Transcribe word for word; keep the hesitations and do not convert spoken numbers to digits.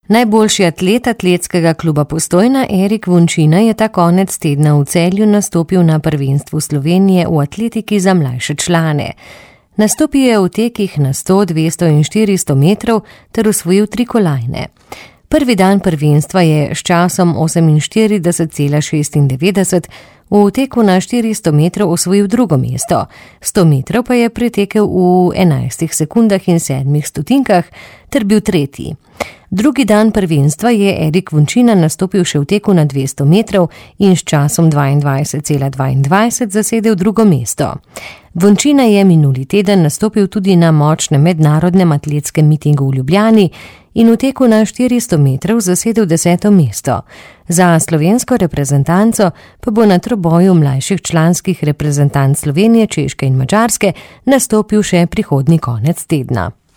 Najboljši atlet atletskega kluba Postojna Erik Vončina je ta konec tedna v Celju nastopil na prvenstvu Slovenije v atletiki za mlajše člane. Nastopil je v tekih na sto, dvesto in štiristo metrov ter osvojil tri kolajne. Prvi dan prvenstva je s časom oseminštirideset cela šestindevetdeset v teku na štiristo metrov osvojil drugo mesto, sto metrov pa je pretekel v enajstih sekundah in sedmih stotinkah ter bil tretji. Drugi dan prvenstva je Erik Vončina nastopil še v teku na dvesto metrov in s časom dvaindvajset cela dvaindvajset zasedel drugo mesto. Vončina je minuli teden nastopil tudi na močnem mednarodnem atletskem mitingu v Ljubljani in v teku na štiristo metrov zasedel deseto mesto. Za slovensko reprezentanco pa bo na troboju mlajših članskih reprezentanc Slovenije, Češke in Madžarske nastopil še prihodnji konec tedna.